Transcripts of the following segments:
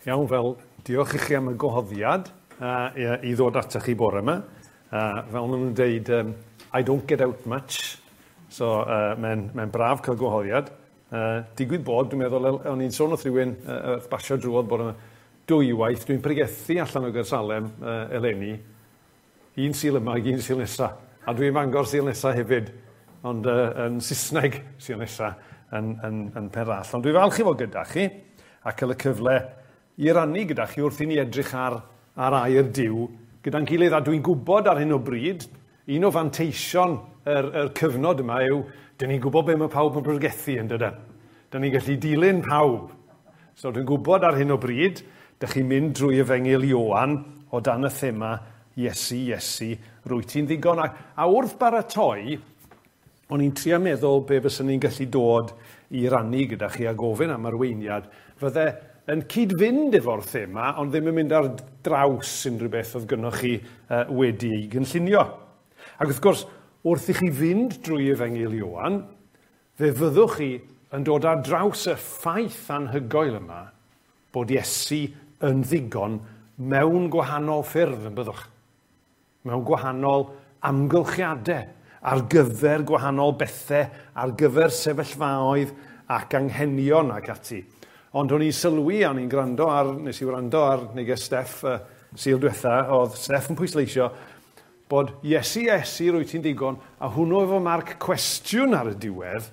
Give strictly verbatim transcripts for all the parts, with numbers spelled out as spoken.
Iawn, fel diolch i chi am y gwahoddiad uh, i, i ddod atoch chi bore yma. Uh, fel maen nhw'n deud, um, I don't get out much, so uh, mae'n mae braf cael gwahoddiad. Uh, digwydd bod, dwi'n meddwl, o'n i'n sôn wrth rhywun uh, wrth basio drwodd bore yma, dwywaith, dwi'n pregethu allan o Gaersalem uh, eleni, un Sul yma ac un Sul nesa. A dwi'n Fangor Sul nesa hefyd, ond uh, yn Saesneg Sul nesa yn, yn, yn Penrallt. Ond dwi'n falch i fod gyda chi a cael y cyfle i rannu gyda chi wrth i ni edrych ar, ar air Duw gyda'n gilydd. A dwi'n gwybod ar hyn o bryd, un o fanteision yr, yr cyfnod yma yw, dyn ni'n gwybod be mae pawb yn pregethu yn dydyn. Dyn ni'n gallu dilyn pawb. So dwi'n gwybod ar hyn o bryd, dych chi'n mynd drwy Efengyl Ioan o dan y thema Iesu, Iesu, rwyt ti'n ddigon. A, a wrth baratoi, o'n i'n trio meddwl be fyswn ni'n gallu dod i rannu gyda chi a gofyn am arweiniad, fydde yn cyd-fynd efo'r thema, ond ddim yn mynd ar draws unrhyw beth oedd gynnoch chi uh, wedi ei gynllunio. Ac wrth gwrs, wrth i chi fynd drwy Efengyl Ioan, fe fyddwch chi yn dod ar draws y ffaith anhygoel yma bod Iesu yn ddigon mewn gwahanol ffyrdd yn byddwch. Mewn gwahanol amgylchiadau, ar gyfer gwahanol bethau, ar gyfer sefyllfaoedd ac anghenion ac ati. Ond o'n i'n sylwi, o'n i'n gwrando ar, nes i wrando ar neges Steff uh, Sul diwetha, oedd Steff yn pwysleisio bod Iesu, Iesu, rwyt ti'n digon, a hwnnw efo marc cwestiwn ar y diwedd,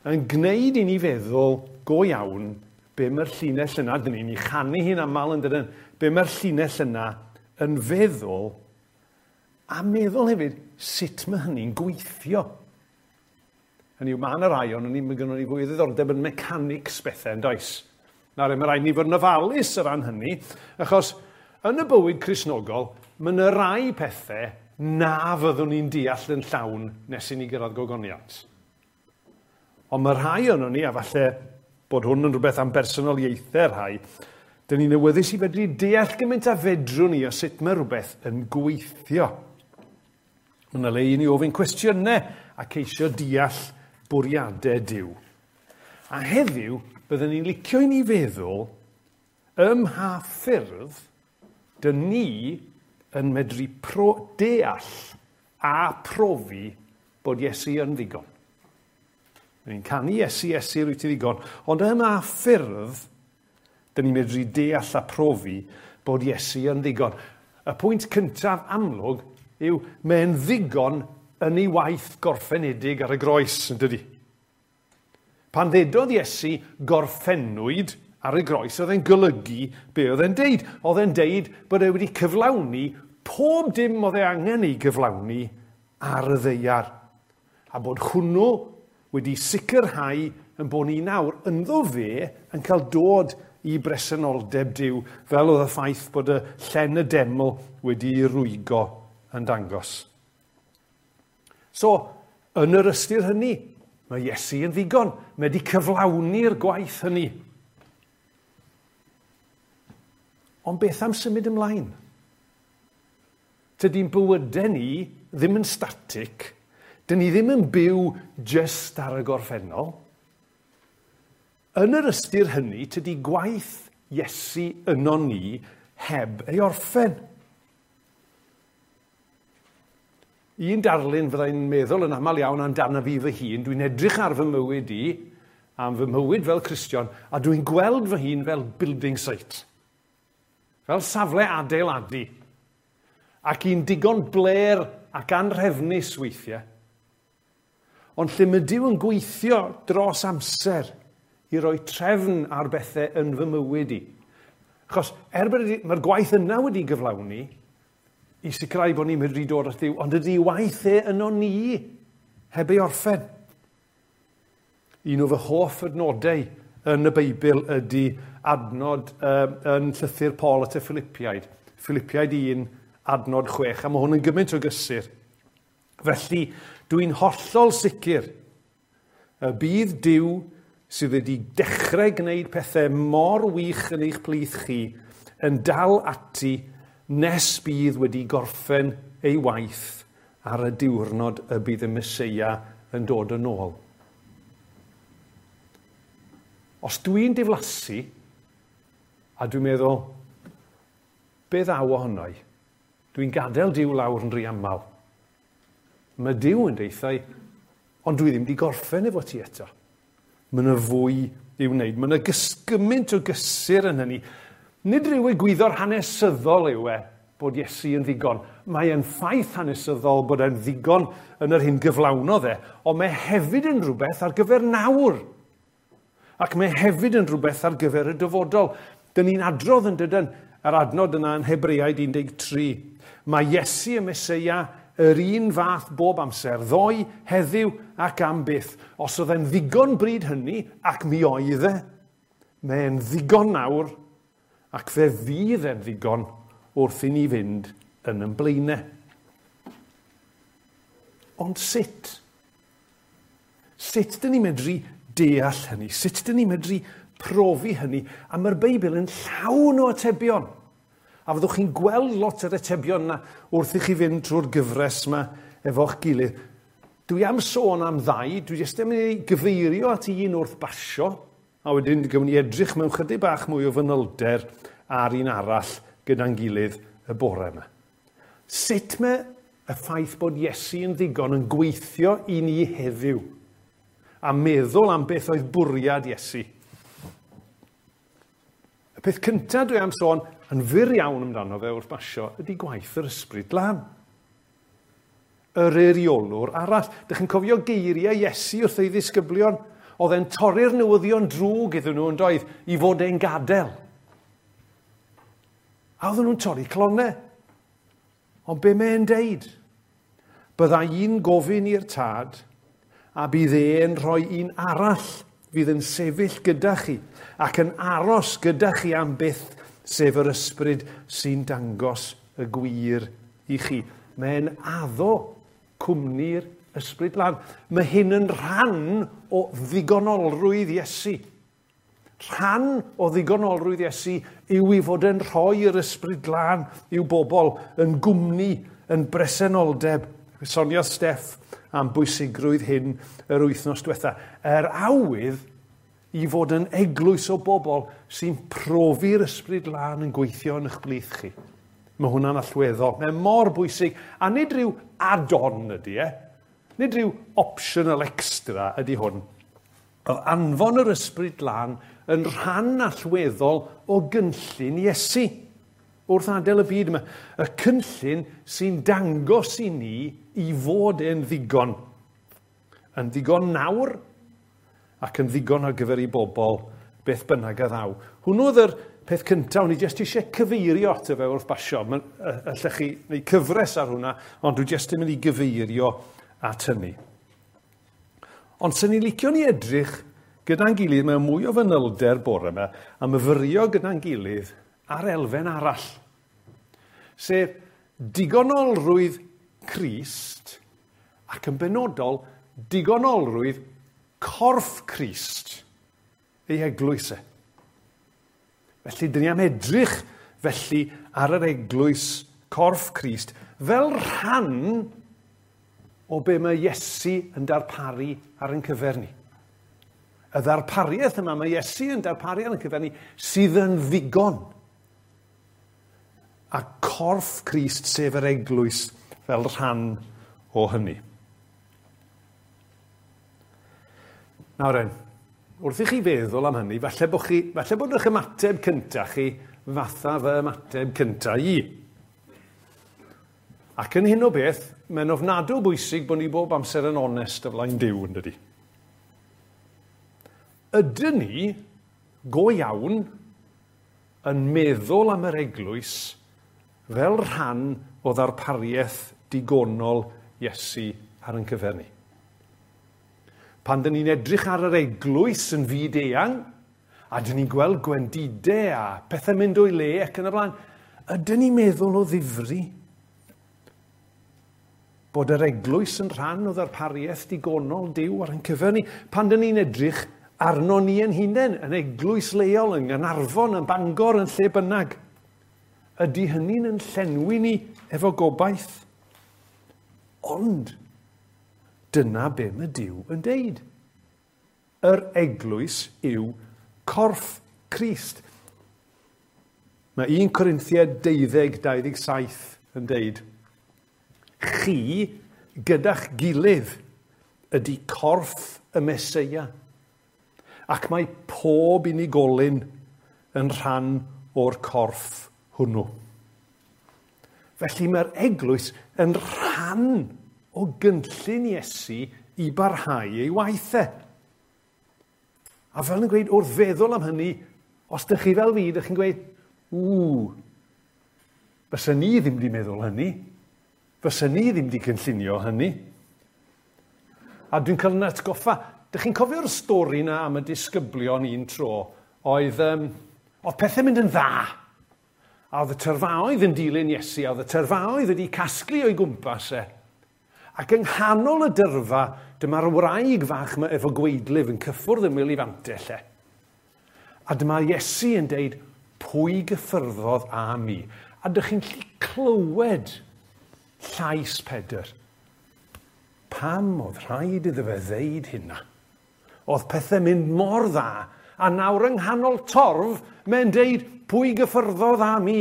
yn gwneud i ni feddwl go iawn be mae'r llinell yna, dyn ni'n ei chanu hi'n aml yn dydyn, be mae'r llinell yna yn feddwl, a meddwl hefyd sut mae hynny'n gweithio. Hynny yw, mae yna rai ond ni, mae gynnon ni fwy o ddiddordeb yn mechanics bethau yn does. Nawr, mae rhaid ni fod yn ofalus o ran hynny, achos yn y bywyd Cristnogol, mae yna rai pethau na fyddwn ni'n deall yn llawn nes i ni gyrraedd gogoniant. Ond mae rhai ohonon ni, a falle bod hwn yn rhywbeth am bersonoliaethau rhai, dyn ni'n awyddus i fedru deall gymaint a fedrwn ni o sut mae rhywbeth yn gweithio. Mae yna le i ni ofyn cwestiynau a ceisio deall bwriadau Duw. A heddiw, byddwn ni'n licio i ni feddwl ym mha ffyrdd dyn ni yn medru pro, deall a profi bod Iesu yn ddigon. Dyn ni'n canu Iesu, Iesu, rwyt ti ddigon, ond ym mha ffyrdd dyn ni'n medru deall a profi bod Iesu yn ddigon. Y pwynt cyntaf amlwg yw mae'n ddigon yn ei waith gorffenedig ar y groes, yn dydi? Pan ddedodd Iesu gorffennwyd ar y groes, oedd e'n golygu be oedd e'n deud. Oedd e'n deud bod e wedi cyflawni pob dim oedd e angen ei gyflawni ar y ddaear. A bod hwnnw wedi sicrhau yn bod ni nawr ynddo fe yn cael dod i bresenoldeb Duw, fel oedd y ffaith bod y llen y deml wedi rwygo yn dangos. So, yn yr ystyr hynny, mae Iesu yn ddigon. Mae wedi cyflawni'r gwaith hynny. Ond beth am symud ymlaen? Tydi'n bywydau ni ddim yn static. Dyn ni ddim yn byw jyst ar y gorffennol. Yn yr ystyr hynny, tydi gwaith Iesu yno ni heb ei orffen. Un darlun fyddai'n meddwl yn aml iawn amdano fi fy hun, dwi'n edrych ar fy mywyd i, am fy mywyd fel Cristion, a dwi'n gweld fy hun fel building site. Fel safle adeiladu. Ac un digon blêr ac anrhefnus weithiau. Ond lle mae Duw yn gweithio dros amser i roi trefn ar bethau yn fy mywyd i. Achos er bod mae'r gwaith yna wedi gyflawni, i sicrhau bod ni'n medru dod at Dduw, ond ydy waith e yno ni heb ei orffen. Un o fy hoff adnodau yn y Beibl ydy adnod uh, yn llythyr Paul at y Philippiaid. Philippiaid un, adnod chwech, a mae hwn yn gymaint o gysur. Felly, dwi'n hollol sicr y bydd Duw sydd wedi dechrau gwneud pethau mor wych yn eich plith chi yn dal ati nes bydd wedi gorffen ei waith ar y diwrnod y bydd y Meseia yn dod yn ôl. Os dwi'n diflasu, A dwi'n meddwl, be ddaw ohono i? Dwi'n gadael Duw lawr yn rhy aml. Mae Duw yn deithau, ond dwi ddim wedi gorffen efo ti eto. Mae yna fwy i'w wneud. Mae yna gymaint o gysur yn hynny. Nid rhyw egwyddor hanesyddol yw e bod Iesu yn ddigon. Mae e'n ffaith hanesyddol bod e'n ddigon yn yr hyn gyflawnodd e, ond mae hefyd yn rhywbeth ar gyfer nawr. Ac mae hefyd yn rhywbeth ar gyfer y dyfodol. Dyn ni'n adrodd yn dydyn yr adnod yna yn Hebreaid un deg tri. Mae Iesu y Meseia yr un fath bob amser, ddoe, heddiw ac am byth. Os oedd e'n ddigon bryd hynny, ac mi oedd e, mae'n ddigon nawr, ac fe fydd e'n ddigon wrth i ni fynd yn ein blaenau. Ond sut? Sut dyn ni'n medru deall hynny? Sut dyn ni'n medru profi hynny? A mae'r Beibl yn llawn o atebion. A fyddwch chi'n gweld lot o'r atebion yna wrth i chi fynd trwy'r gyfres yma efo'ch gilydd. Dwi am sôn am ddau, dwi jyst yn mynd i gyfeirio at un wrth basio, a wedyn dwi'n mynd i edrych mewn chydig bach mwy o fanylder ar un arall gyda'n gilydd y bore yma. Sut mae y ffaith bod Iesu yn ddigon yn gweithio i ni heddiw a meddwl am beth oedd bwriad Iesu? Y peth cyntaf dwi am sôn yn fyr iawn amdano fe wrth basio ydy gwaith yr Ysbryd Glân. Yr eiriolwr arall. Dych chi'n cofio geiriau Iesu wrth ei ddisgyblion? Oedd e'n torri'r newyddion drwg iddyn nhw yn doedd i fod e'n gadael. A oedden nhw'n torri clonau. Ond be mae'n deud? Bydda i'n gofyn i'r tad a bydd e'n rhoi un arall fydd yn sefyll gyda chi ac yn aros gyda chi am byth, sef yr ysbryd sy'n dangos y gwir i chi. Mae'n addo cwmni'r Ysbryd Glân. Mae hyn yn rhan o ddigonolrwydd Iesu. Rhan o ddigonolrwydd Iesu yw i fod yn rhoi yr Ysbryd Glân i'w bobl yn gwmni, yn bresenoldeb. Soniodd Steff am bwysigrwydd hyn yr wythnos diwetha. Yr awydd i fod yn eglwys o bobl sy'n profi'r Ysbryd Glân yn gweithio yn eich blith chi. Mae hwnna'n allweddol. Mae mor bwysig. A nid rhyw add-on ydy e. Nid rhyw optional extra ydy hwn. Oedd anfon yr Ysbryd Glân yn rhan allweddol o gynllun Iesu wrth adael y byd yma. Y cynllun sy'n dangos i ni i fod e'n ddigon. Yn ddigon nawr ac yn ddigon ar gyfer i bobl beth bynnag a ddaw. Hwnnw oedd yr peth cyntaf, o'n i jyst eisiau cyfeirio ato fe wrth basio. Allech chi wneud cyfres ar hwnna, ond dwi jyst yn mynd i gyfeirio at hynny. Ond sy'n ni'n licio ni edrych gyda'n gilydd mewn mwy o fanylder bore yma a myfyrio gyda'n gilydd ar elfen arall, sef digonolrwydd Crist ac yn benodol digonolrwydd corff Crist, ei eglwys e. Felly, dyn ni am edrych felly ar yr eglwys corff Crist fel rhan o be mae Iesu yn darparu ar ein cyfer ni. Y ddarpariaeth yma mae Iesu yn darparu ar ein cyfer ni sydd yn ddigon. A corff Crist, sef yr eglwys, fel rhan o hynny. Nawr en, wrth i chi feddwl am hynny, falle bod, chi, falle bod eich ymateb cyntaf chi fatha fy ymateb cyntaf i. Ac yn hyn o beth, mae'n ofnadw bwysig bod ni bob amser yn onest o flaen Duw, yn dydi? Ydyn ni, go iawn, yn meddwl am yr eglwys fel rhan o ddarpariaeth digonol Iesu ar ein cyfer ni? Pan dyn ni'n edrych ar yr eglwys yn fyd eang, a dyn ni'n gweld gwendidau a pethau mynd o'i le ac yn y blaen, ydyn ni'n meddwl o ddifri bod yr eglwys yn rhan o ddarpariaeth digonol Duw ar ein cyfer ni? Pan dyn ni'n edrych arno ni yn hunain, yn eglwys leol, yng Nghaernarfon, yn Bangor, yn lle bynnag, ydy hynny'n yn llenwi ni efo gobaith? Ond dyna be mae Duw yn deud. Yr eglwys yw corff Crist. Mae un Corinthiaid deuddeg dau ddeg saith yn deud, chi gyda'ch gilydd ydy corff y Meseia, ac mae pob unigolyn yn rhan o'r corff hwnnw. Felly mae'r eglwys yn rhan o gynllun Iesu i barhau ei waith e. A fel yn gweud, wrth feddwl am hynny, os ydych chi fel fi, ydych chi'n gweud, ww, fysa ni ddim wedi meddwl hynny. Fysa ni ddim wedi cynllunio hynny. A dwi'n cael yn atgoffa, dych chi'n cofio'r stori na am y disgyblion un tro, oedd, um, oedd pethau mynd yn dda. A oedd y tyrfaoedd yn dilyn Iesu, a oedd y tyrfaoedd wedi casglu o'i gwmpas e. Ac yng nghanol y dyrfa, dyma'r wraig fach yma efo gwaedlif yn cyffwrdd ymyl ei fantell e. A dyma Iesu yn deud, pwy gyffyrddodd â mi? A dych chi'n gallu clywed llais Pedr. Pam oedd rhaid iddo fe ddeud hynna? Oedd pethau mynd mor dda, a nawr yng nghanol torf, mae'n deud, pwy gyffyrddodd â mi?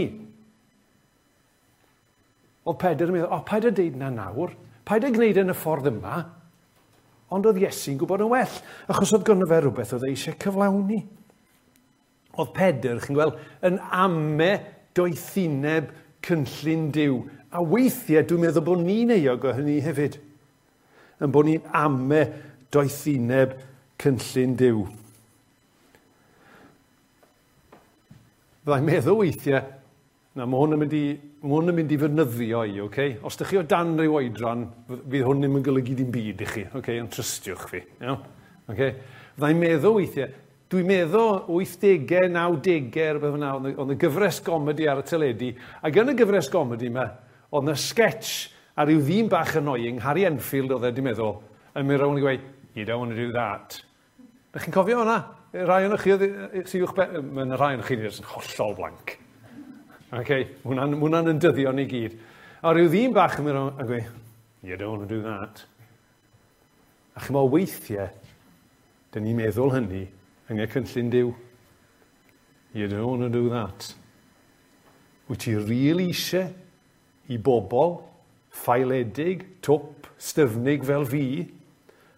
Oedd Pedr yn meddwl, o, paid â deud na nawr, paid â gwneud yn y ffordd yma. Ond oedd Iesu'n gwybod yn well, achos oedd gynno fe rhywbeth oedd e eisiau cyflawni. Oedd Pedr, chi'n gweld, yn ame doethineb cynllun Duw. A weithiau dwi'n meddwl bod ni'n euog o hynny hefyd. Yn bod ni'n ame doethineb cynllun Duw. Fyddai'n meddwl weithiau, na, mae hwn yn mynd i, mae hwn yn mynd i fynyddio i, okay? Os ydych chi o dan ryw oedran, fydd hwn ddim yn golygu dim byd i chi, okay? Ond trystiwch fi. Iawn? Okay? Fyddai'n meddwl weithiau, dwi'n meddwl wythdegau, nawdegau, rhywbeth fel 'na, oedd y gyfres gomedi ar y teledu, ac yn y gyfres gomedi yma, oedd yna sketch ar ryw ddyn bach annoying, Harry Enfield oedd e, dwi'n meddwl, yn mynd rownd i gweud, you don't want to do that. Ydych chi'n cofio hwnna? Rai o'n chi sydd uwch ben, mae yna rai o'n chi yn hollol blank. Okay, hwnna'n, hwnna'n yn dyddio ni gyd. A rhyw ddyn bach yn mynd rownd a gweud, you don't want to do that. A chi'n meddwl weithiau, dyn ni'n meddwl hynny yng nghynllun Duw. You don't want to do that. Wyt ti really eisiau i bobl ffaeledig, twp, styfnig fel fi,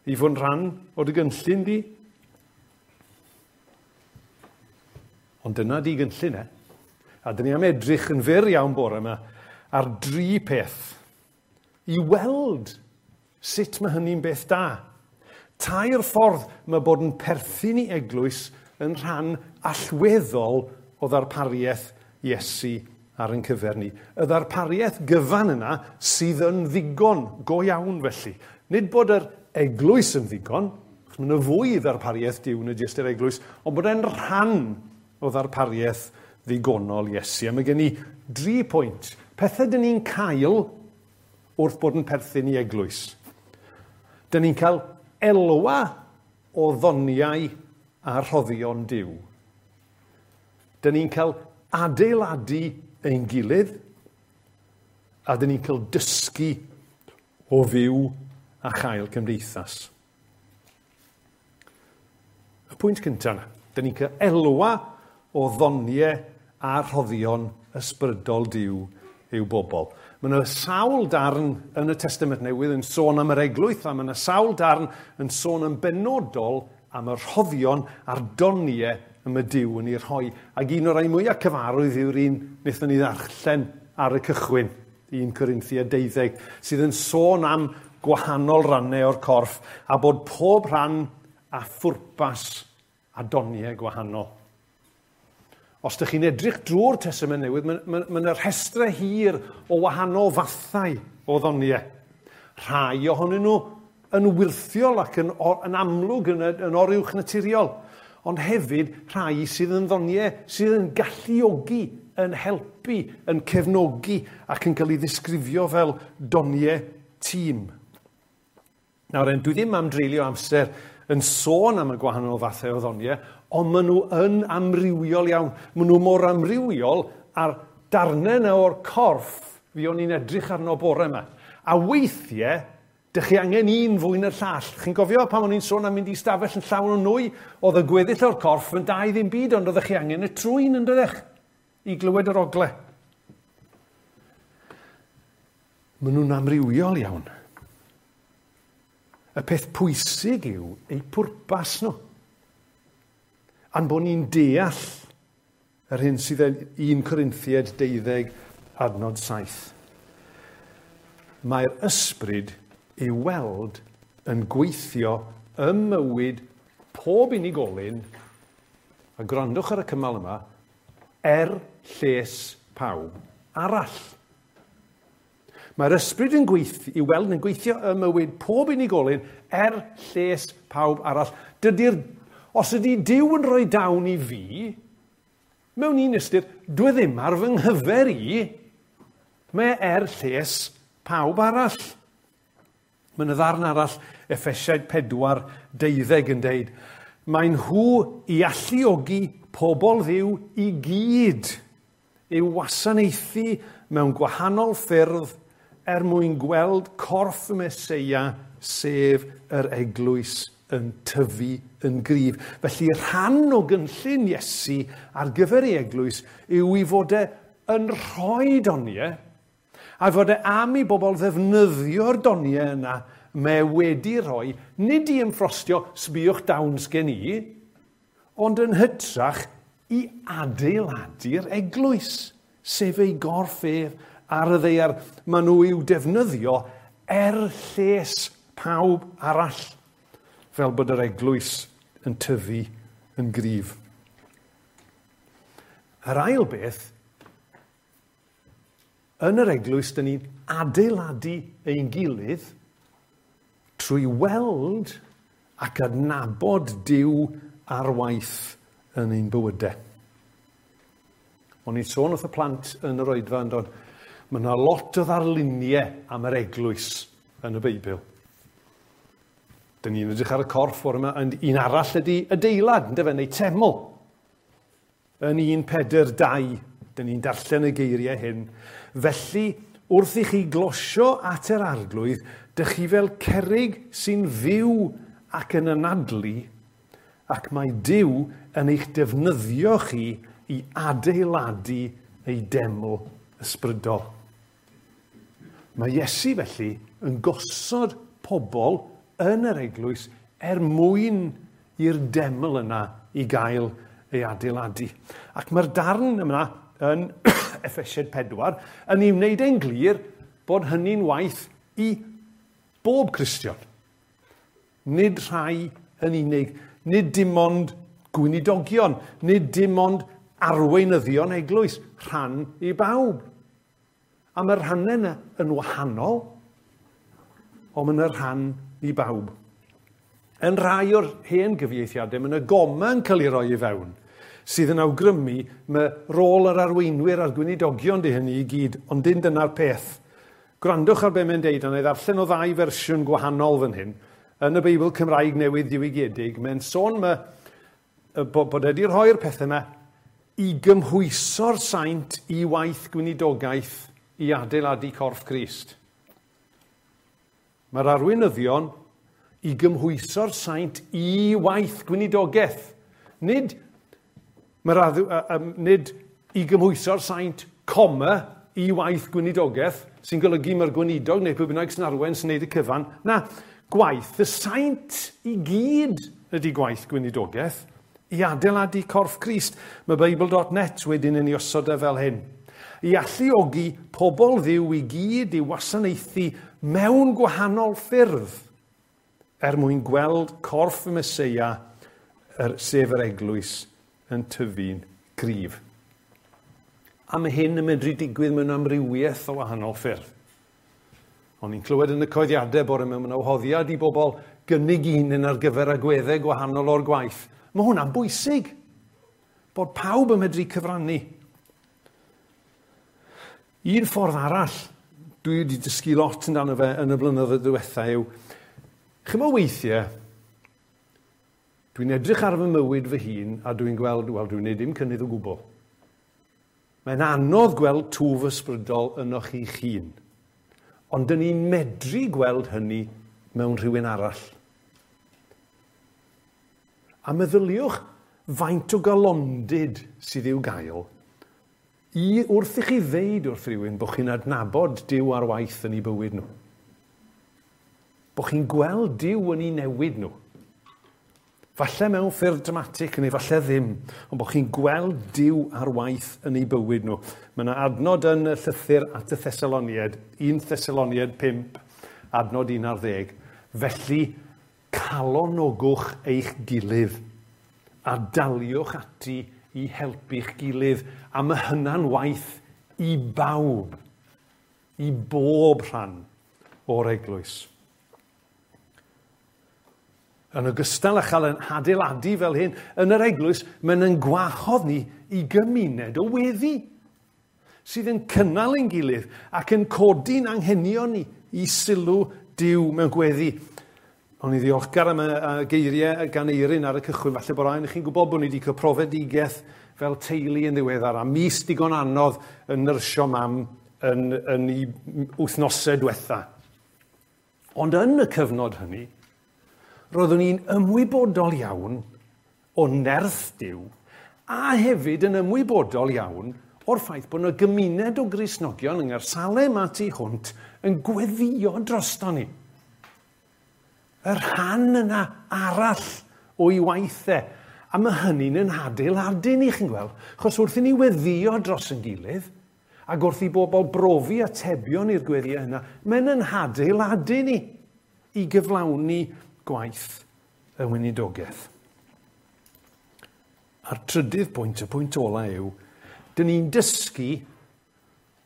i fod yn rhan o dy gynllun di? Ond dyna di gynllun e. A dyn ni am edrych yn fyr iawn bore yma ar dri peth i weld sut mae hynny'n beth da. Tair ffordd mae bod yn perthyn i eglwys yn rhan allweddol o ddarpariaeth Iesu ar ein cyfer ni. Y ddarpariaeth gyfan yna sydd yn ddigon, go iawn felly. Nid bod yr eglwys yn ddigon, achos mae yna fwy ddarpariaeth Duw na jyst yr eglwys, ond bod e'n rhan o ddarpariaeth ddigonol Iesu. A mae gen i dri pwynt. Pethau dyn ni'n cael wrth bod yn perthyn i eglwys. Dyn ni'n cael elwa o ddoniau a rhoddion Duw. Dyn ni'n cael adeiladu ein gilydd, a dyn ni'n cael dysgu o fyw a chael cymdeithas. Y pwynt cyntaf yna, dyn ni'n cael elwa o ddoniau a rhoddion ysbrydol Duw i'w bobl. Mae yna sawl darn yn y Testament Newydd yn sôn am yr eglwys, a mae yna sawl darn yn sôn yn benodol am y rhoddion a'r doniau y mae Duw yn ei rhoi. Ac un o'r rhai mwyaf cyfarwydd yw'r un wnaethon ni ddarllen ar y cychwyn, un Corinthiaid deuddeg, sydd yn sôn am gwahanol rannau o'r corff a bod pob rhan a phwrpas a doniau gwahanol. Os ydych chi'n edrych drwy'r Testament Newydd, mae ma, ma yna rhestrau hir o wahanol fathau o ddoniau. Rhai ohonyn nhw yn wyrthiol ac yn, yn amlwg yn, yn oruwch naturiol, ond hefyd rhai sydd yn ddoniau sydd yn galluogi, yn helpu, yn cefnogi ac yn cael ei ddisgrifio fel doniau tîm. Nawr, dwi ddim am dreulio amser yn sôn am y gwahanol fathau o ddoniau, ond maen nhw yn amrywiol iawn. Maen nhw mor amrywiol ar darnau yna o'r corff fi o'n i'n edrych arno bore yma. A weithiau, dych chi angen un fwy na'r llall. Chi'n gofio pan o'n i'n sôn am mynd i stafell yn llawn o nwy, oedd y gweddill o'r corff yn dau ddim byd, ond oeddech chi angen y trwyn yn doeddech? i glywed yr ogle. Maen nhw'n amrywiol iawn. Y peth pwysig yw eu pwrpas nhw. A'n bod ni'n deall yr hyn sydd yn un Corinthiaid deuddeg adnod saith. Mae'r ysbryd i'w weld yn gweithio ym mywyd pob unigolyn, a gwrandwch ar y cymal yma, er lles pawb arall. Mae'r ysbryd yn gweithio, i weld yn gweithio ym mywyd pob unigolyn er lles pawb arall. Dydy'r, os ydy Duw yn rhoi dawn i fi, mewn un ystyr, dwi ddim ar fy nghyfer i, mae er lles pawb arall. Mae yna ddarn arall, Effesiaid pedwar deuddeg yn deud, mae nhw i alluogi pobl Dduw i gyd i'w wasanaethu mewn gwahanol ffyrdd er mwyn gweld corff y Meseia, sef yr eglwys, yn tyfu yn gryf. Felly rhan o gynllun Iesu ar gyfer ei eglwys yw i fod e yn rhoi doniau, a fod e am i bobl ddefnyddio'r doniau yna mae wedi rhoi, nid i ymffrostio sbïwch dawns gen i, ond yn hytrach i adeiladu'r eglwys, sef ei gorff ef ar y ddaear. Maen nhw i'w defnyddio er lles pawb arall, fel bod yr eglwys yn tyfu yn gryf. Yr ail beth, yn yr eglwys, dyn ni'n adeiladu ein gilydd trwy weld ac adnabod Duw ar waith yn ein bywydau. O'n i'n sôn wrth y plant yn yr oedfa yn dod, mae yna lot o ddarluniau am yr eglwys yn y Beibl. Dyn ni'n edrych ar y corff o'r yma, ond un arall ydy adeilad, yndyfe, neu teml. Yn un Pedr dau, dyn ni'n darllen y geiriau hyn. Felly, wrth i chi glosio at yr arglwydd, dych chi fel cerrig sy'n fyw ac yn anadlu, ac mae Duw yn eich defnyddio chi i adeiladu ei deml ysbrydol. Mae Iesu felly yn gosod pobl yn yr eglwys er mwyn i'r deml yna i gael ei adeiladu. Ac mae'r darn yma yn Effesiaid pedwar yn ei wneud e'n glir bod hynny'n waith i bob Cristion. Nid rhai yn unig, nid dim ond gweinidogion, nid dim ond arweinyddion eglwys, rhan i bawb. A mae'r rhannau yna yn wahanol, ond mae yna rhan i bawb. Yn rhai o'r hen gyfieithiadau, mae yna goma yn cael ei roi i fewn, sydd yn awgrymu mae rôl yr arweinwyr a'r gweinidogion di hynny i gyd, ond dim dyna'r peth. Gwrandwch ar be mae'n deud, a na i ddarllen o ddau fersiwn gwahanol fan hyn. Yn y Beibl Cymraeg Newydd Diwygiedig, mae'n sôn ma, bod, bod wedi rhoi'r pethau yma i gymhwyso'r saint i waith gweinidogaeth i adeiladu corff Crist. Mae'r arweinyddion i gymhwyso'r saint i waith gweinidogaeth. Nid, mae'r adw, uh, nid i gymhwyso'r saint, coma, i waith gweinidogaeth, sy'n golygu mae'r gweinidog neu pwy bynnag sy'n arwain sy'n neud y cyfan. Na, gwaith y saint i gyd ydy gwaith gweinidogaeth i adeiladu corff Crist. Mae Bible dot net wedyn yn ei osod e fel hyn. I alluogi pobl Dduw i gyd i wasanaethu mewn gwahanol ffyrdd er mwyn gweld corff y Meseia, er, sef yr eglwys, yn tyfu'n gryf. A mae hyn yn medru digwydd mewn amrywiaeth o wahanol ffyrdd. O'n i'n clywed yn y coeddiadau bore mewn awhoddiad i bobl gynnig un ar gyfer agweddau gwahanol o'r gwaith. Mae hwnna'n bwysig, bod pawb yn medru cyfrannu. Un ffordd arall dwi wedi dysgu lot amdano fe yn y blynyddoedd diwetha yw, chimod weithiau, dwi'n edrych ar fy mywyd fy hun a dwi'n gweld, wel, dwi'n neud dim cynnydd o gwbl. Mae'n anodd gweld twf ysbrydol ynoch chi'ch hun. Ond dyn ni'n medru gweld hynny mewn rhywun arall. A meddyliwch faint o galondid sydd i'w gael I wrth i chi ddeud wrth rhywun bod chi'n adnabod Duw ar waith yn eu bywyd nhw. Bod chi'n gweld Duw yn eu newid nhw. Falle mewn ffyrdd dramatig neu falle ddim, ond bod chi'n gweld Duw ar waith yn eu bywyd nhw. Mae yna adnod yn y llythyr at y Thessaloniaid, un Thessaloniaid pump, adnod un ar ddeg. Felly, calonogwch eich gilydd a daliwch ati i helpu'ch gilydd, a mae hynna'n waith i bawb, i bob rhan o'r eglwys. Yn ogystal â chael yn adeiladu fel hyn, yn yr eglwys, mae'n yn gwahodd ni i gymuned o weddi sydd yn cynnal ein gilydd ac yn codi'n anghenion ni i sylw Duw mewn gweddi. O'n i ddiolchgar am y geiriau gan Eirin ar y cychwyn, falle bod rhaid i chi'n gwybod bod ni wedi cael profedigaeth fel teulu yn ddiweddar, a mis digon anodd yn nyrsio mam yn, yn ei wythnosau diwetha. Ond yn y cyfnod hynny, roeddwn i'n ymwybodol iawn o nerth Duw, a hefyd yn ymwybodol iawn o'r ffaith bod yna gymuned o Gristnogion yng Nghaersalem a tu hwnt yn gweddio drosto ni. Y rhan yna arall o'i waith e. A mae hynny'n yn adeiladu ni, chi'n gweld. Achos wrth i ni weddio dros yn gilydd, ac wrth i bobl brofi atebion i'r gweddiau yna, mae'n yn adeiladu ni i gyflawni gwaith y weinidogaeth. A'r trydydd pwynt, y pwynt ola yw, dyn ni'n dysgu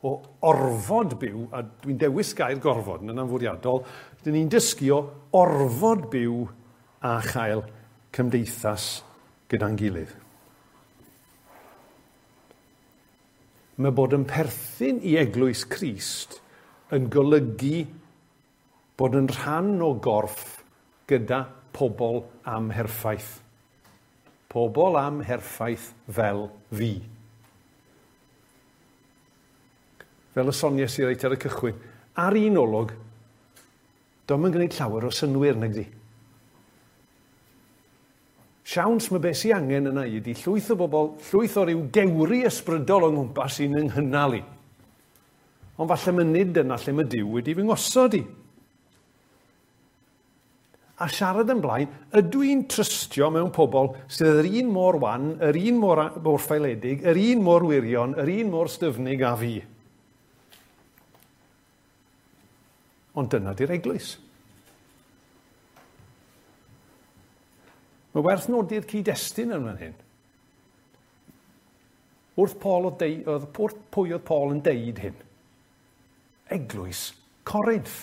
o orfod byw, a dwi'n dewis gair gorfod yn anfwriadol, dyn ni'n dysgu o orfod byw a chael cymdeithas gyda'n gilydd. Mae bod yn perthyn i Eglwys Crist yn golygu bod yn rhan o gorff gyda pobl amherffaith. Pobl amherffaith fel fi. Fel y soniais i reit ar y cychwyn, ar un olwg, do'm yn gwneud llawer o synnwyr, nag 'di. Siawns mae beth sy'n angen yna i ydi llwyth o bobl, llwyth o ryw gewri ysbrydol o ngwmpas sy'n yng nghynnal i. Ond falle mae nid yna lle mae Duw wedi fy ngosod i. A siarad yn blaen, ydw i'n trystio mewn pobl sydd yr un mor wan, yr un mor, mor ffaeledig, yr un mor wirion, yr un mor styfnig â fi. Ond dyna di'r eglwys. Mae werth nodi'r cyd-destun yn fan hyn. Wrth Paul oedd deu, oedd, wrth pwy oedd Paul yn deud hyn? Eglwys Corinth.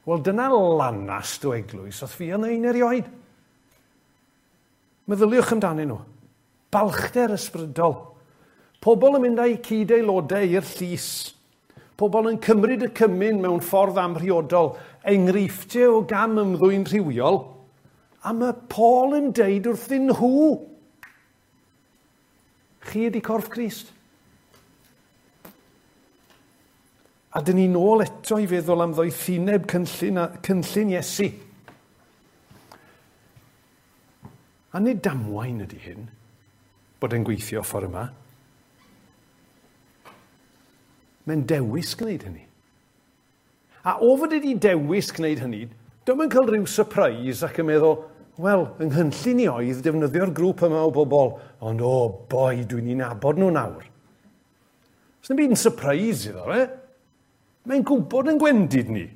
Wel, dyna lanast o eglwys oedd fi yn ein erioed. Meddyliwch amdanyn nhw. Balchder ysbrydol. Pobl yn mynd â'u cyd-aelodau i'r llys. Pobl yn cymryd y cymun mewn ffordd amhriodol, enghreifftiau o gam ymddwyn rhywiol, a mae Paul yn deud wrthyn nhw, chi ydi corff Crist. A dyn ni nôl eto i feddwl am ddoethineb cynllun, cynllun Iesu. A nid damwain ydy hyn, bod e'n gweithio ffordd yma. Mae'n dewis gwneud hynny. A o fod wedi dewis gwneud hynny, dyma yn cael rhyw surprise ac yn meddwl, wel, yng nghynllun i oedd defnyddio'r grŵp yma o bobl, ond o, oh boi, dwi'n ei nabod nhw nawr. Sdim byd yn surprise iddo fe. Mae'n gwybod yn gwendid ni.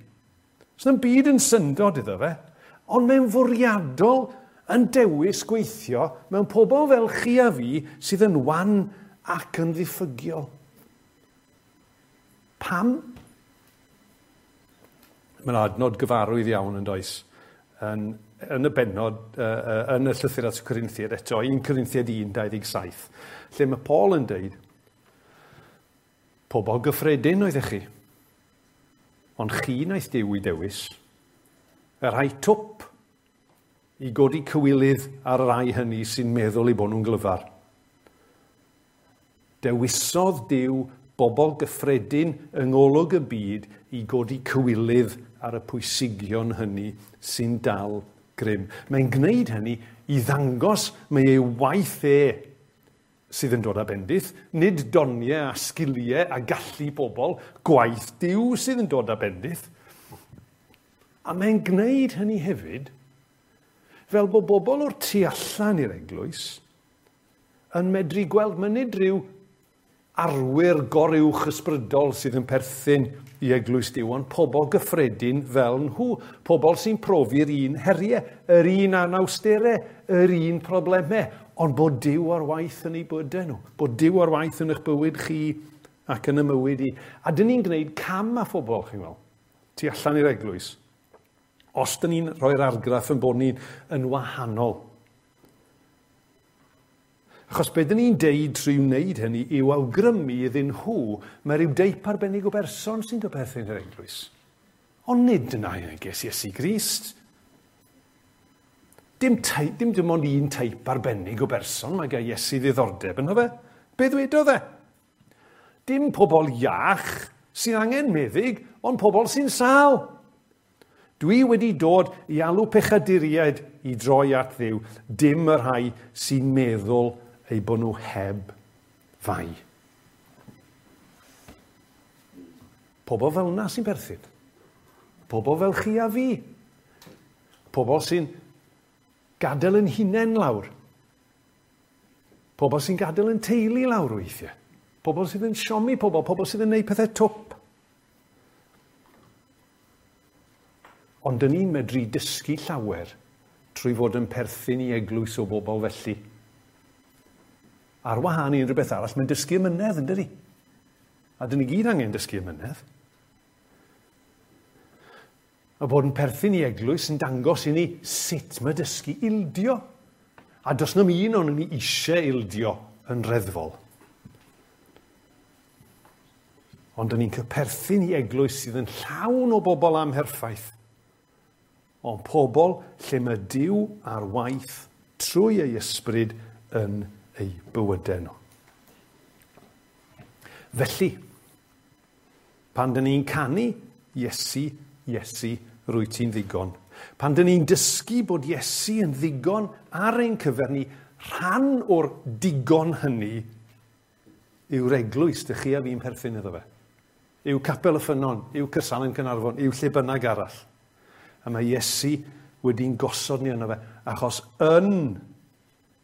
Sdim byd yn syndod iddo fe. Ond mae'n fwriadol yn dewis gweithio mewn pobl fel chi a fi sydd yn wan ac yn ddiffygiol. Pam? Mae'n adnod gyfarwydd iawn yn does. Yn, yn y bennod, uh, yn y llythyr at y Corinthiaid eto, un Corinthiaid un dau ddeg saith, lle mae Paul yn deud, pobl gyffredin oeddech chi, ond chi wnaeth Duw i dewis, y rhai twp i godi cywilydd ar y rhai hynny sy'n meddwl eu bod nhw'n glyfar. Dewisodd Duw bobl gyffredin yng ngolwg y byd i godi cywilydd ar y pwysigion hynny sy'n dal grym. Mae'n gwneud hynny i ddangos mae ei waith e sydd yn dod â bendith, nid doniau a sgiliau a gallu bobl, gwaith Duw sydd yn dod â bendith. A mae'n gwneud hynny hefyd fel bod bobl o'r tu allan i'r eglwys yn medru gweld mae nid rhyw arwyr goruwch ysbrydol sydd yn perthyn i eglwys Duw, ond pobl gyffredin fel nhw, pobl sy'n profi'r un heriau, yr un anawsterau, yr un problemau, ond bod Duw ar waith yn eu bywydau nhw, bod Duw ar waith yn eich bywyd chi ac yn y mywyd i. A dyn ni'n gwneud cam â phobl, chi'n gweld, tu allan i'r eglwys, os dyn ni'n rhoi'r argraff yn bod ni'n yn wahanol. Achos be dyn ni'n deud trwy wneud hynny yw awgrymu iddyn nhw mae rhyw deip arbennig o berson sy'n dod perthyn i'r eglwys. Ond nid dyna yw neges Iesu Grist. Dim, teip, dim dim ond un teip arbennig o berson mae gan Iesu ddiddordeb ynddo fe. Be ddwedodd e? Dim pobl iach sy'n angen meddyg, ond pobl sy'n sâl. Dwi wedi dod i alw pechaduriaid i droi at Dduw, dim y rhai sy'n meddwl eu bod nhw heb fai. Pobl fel yna sy'n perthyn. Pobl fel chi a fi. Pobl sy'n gadael yn hunain lawr. Pobl sy'n gadael yn teulu lawr weithiau. Pobl sydd yn siomi pobl, pobl sydd yn gwneud pethau twp. Ond dyn ni'n medru dysgu llawer trwy fod yn perthyn i eglwys o bobl felly. Ar wahân i unrhyw beth arall, mae'n dysgu ymynedd, yn dydi? A dyn ni gyd angen dysgu ymynedd. A bod yn perthyn i eglwys yn dangos i ni sut mae dysgu ildio. A does na'm un o'n ni eisiau ildio yn reddfol. Ond dyn ni'n cael perthyn i eglwys sydd yn llawn o bobl amherffaith. Ond pobl lle mae Duw ar waith trwy ei ysbryd yn eu bywydau nhw. Felly, pan dyn ni'n canu, Iesu, Iesu, rwyt ti'n ddigon. Pan dyn ni'n dysgu bod Iesu yn ddigon ar ein cyfer ni, rhan o'r digon hynny yw'r eglwys dych chi a fi'n perthyn iddo fe. Yw Capel y Ffynnon, yw Caersalem Caernarfon, yw lle bynnag arall. A mae Iesu wedi'n gosod ni yno fe, achos yn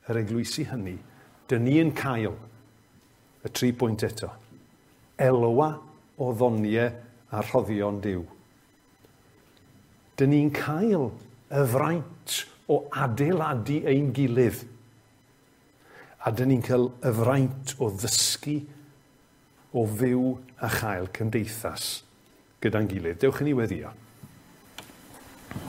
yr eglwysi hynny, dyn ni yn cael y tri pwynt eto. Elwa o ddoniau a rhoddion Duw. Dyn ni'n cael y fraint o adeiladu ein gilydd. A dyn ni'n cael y fraint o ddysgu, o fyw a chael cymdeithas gyda'n gilydd. Dewch i ni weddïo.